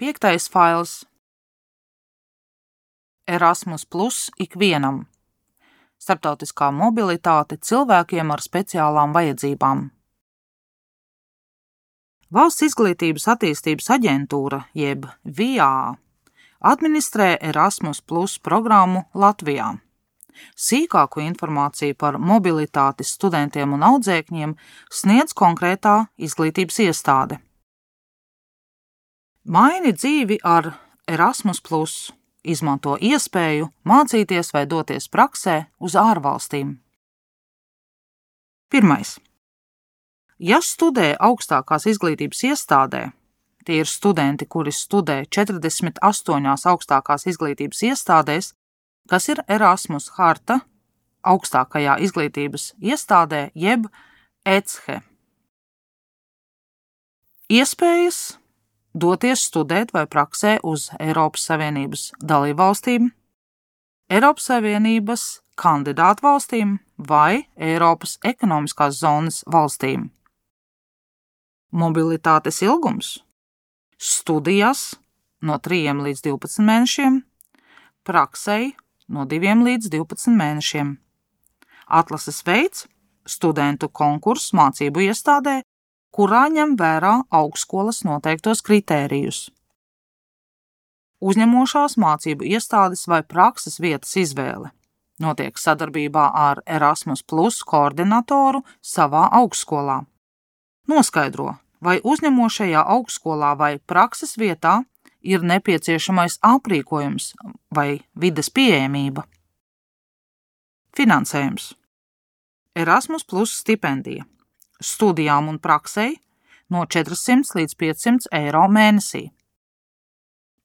5. fails. Erasmus Plus ikvienam. Starptautiskā mobilitāte cilvēkiem ar speciālām vajadzībām. Valsts izglītības attīstības aģentūra, jeb VIA, administrē Erasmus Plus programmu Latvijā. Sīkāku informāciju par mobilitāti studentiem un audzēkņiem sniedz konkrētā izglītības iestāde. Maini dzīvi ar Erasmus Plus. Izmanto iespēju mācīties vai doties praksē uz ārvalstīm. 1. Ja studē augstākās izglītības iestādē, tie ir studenti, kuri studē 48 augstākās izglītības iestādēs, kas ir Erasmus harta augstākajā izglītības iestādē jeb ECHE. Iespējas doties studēt vai praksē uz Eiropas Savienības dalībvalstīm, Eiropas Savienības kandidātu valstīm vai Eiropas ekonomiskās zonas valstīm. Mobilitātes ilgums studijas no 3 līdz 12 mēnešiem, praksei no 2 līdz 12 mēnešiem. Atlases veids studentu konkurss mācību iestādē, kurā ņem vērā augstskolas noteiktos kritērijus. Uzņemošās mācību iestādes vai prakses vietas izvēle notiek sadarbībā ar Erasmus Plus koordinatoru savā augstskolā. Noskaidro, vai uzņemošajā augstskolā vai prakses vietā ir nepieciešamais aprīkojums vai vides pieejamība. Finansējums. Erasmus Plus stipendija. Studijām un praksei no 400 līdz 500 eiro mēnesī.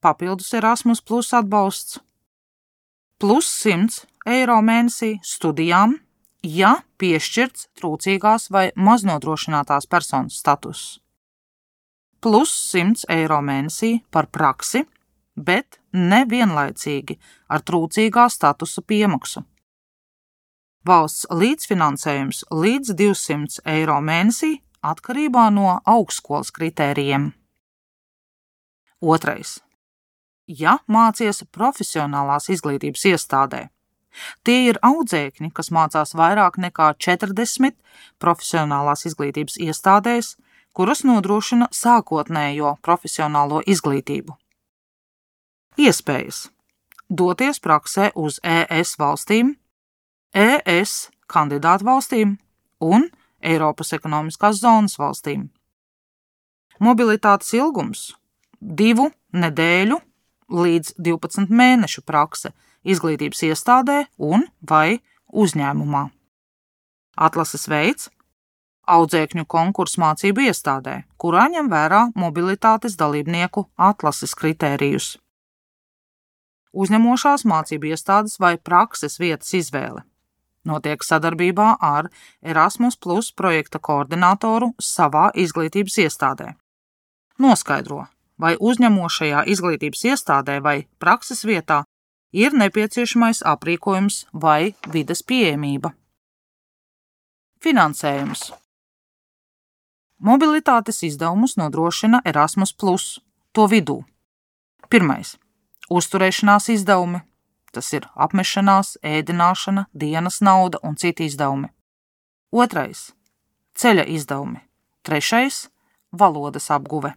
Papildus Erasmus Plus atbalsts plus 100 eiro mēnesī studijām, ja piešķirts trūcīgās vai maznodrošinātās personas status. Plus 100 eiro mēnesī par praksi, bet nevienlaicīgi ar trūcīgā statusa piemaksu. Valsts līdzfinansējums līdz 200 eiro mēnesī atkarībā no augstskolas kritērijiem. 2. Ja mācies profesionālās izglītības iestādē, tie ir audzēkņi, kas mācās vairāk nekā 40 profesionālās izglītības iestādēs, kuras nodrošina sākotnējo profesionālo izglītību. Iespējas doties praksē uz ES valstīm, ES kandidātu valstīm un Eiropas ekonomiskās zonas valstīm. Mobilitātes ilgums 2 nedēļu līdz 12 mēnešu prakse izglītības iestādē un vai uzņēmumā. Atlases veids audzēkņu konkurss mācību iestādē, kurā ņem vērā mobilitātes dalībnieku atlases kritērijus. Uzņemošās mācību iestādes vai prakses vietas izvēle notiek sadarbībā ar Erasmus Plus projekta koordinatoru savā izglītības iestādē. Noskaidro, vai uzņemošajā izglītības iestādē vai prakses vietā ir nepieciešamais aprīkojums vai vides pieejamība. Finansējums. Mobilitātes izdevumus nodrošina Erasmus Plus, to vidū. 1. Uzturēšanās izdevumi. Tas ir apmešanās, ēdināšana, dienas nauda un citi izdevumi. 2. Ceļa izdevumi. 3. Valodas apguve.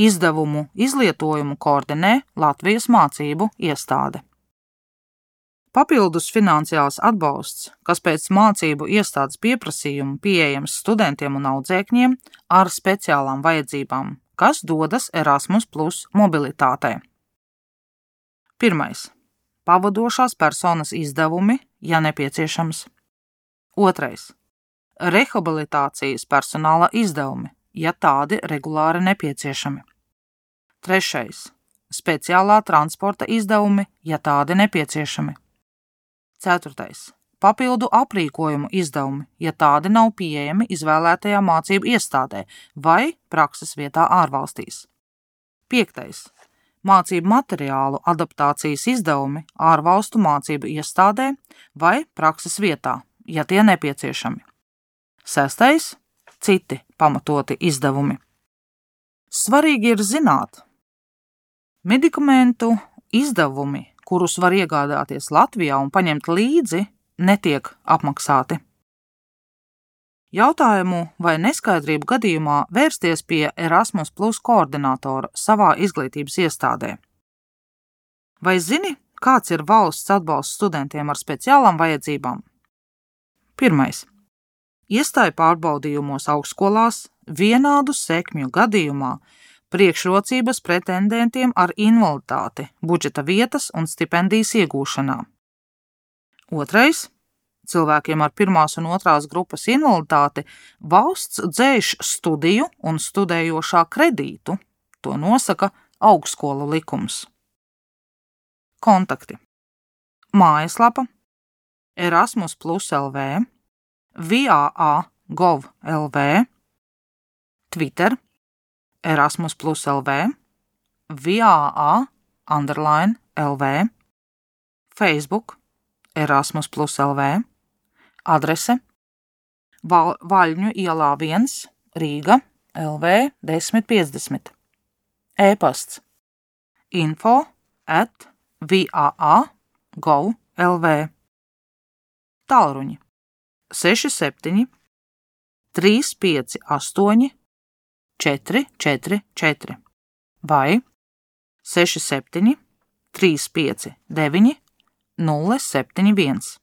Izdevumu izlietojumu koordinē Latvijas mācību iestāde. Papildus finansiāls atbalsts, kas pēc mācību iestādes pieprasījumu pieejams studentiem un audzēkņiem ar speciālām vajadzībām, kas dodas Erasmus Plus mobilitātē. 1. Pavadošās personas izdevumi, ja nepieciešams. 2. Rehabilitācijas personāla izdevumi, ja tādi regulāri nepieciešami. 3. Speciālā transporta izdevumi, ja tādi nepieciešami. 4. Papildu aprīkojumu izdevumi, ja tādi nav pieejami izvēlētajā mācību iestādē vai prakses vietā ārvalstīs. 5. Mācību materiālu adaptācijas izdevumi ārvalstu mācību iestādē vai prakses vietā, ja tie nepieciešami. 6. Citi pamatoti izdevumi. Svarīgi ir zināt, Medikamentu izdevumi, kurus var iegādāties Latvijā un paņemt līdzi, netiek apmaksāti. Jautājumu vai neskaidrību gadījumā vērsties pie Erasmus Plus koordinātora savā izglītības iestādē. Vai zini, kāds ir valsts atbalsts studentiem ar speciālām vajadzībām? 1. Iestāju pārbaudījumos augstskolās vienādu sekmju gadījumā priekšrocības pretendentiem ar invaliditāti, budžeta vietas un stipendijas iegūšanā. 2. Cilvēkiem ar 1. un 2. grupas invaliditāti valsts dzēš studiju un studējošā kredītu. To nosaka augstskolu likums. Kontakti. Mājaslapa Erasmus Plus LV, VAA.gov.lv, Twitter Erasmus Plus LV, VAA_LV, Facebook Erasmus Plus LV, adrese Vaļņu ielā 1, Rīga, LV 1050, e-pasts info@vaa.gov.lv, tālruņi 67 358 444 vai 67 359 071.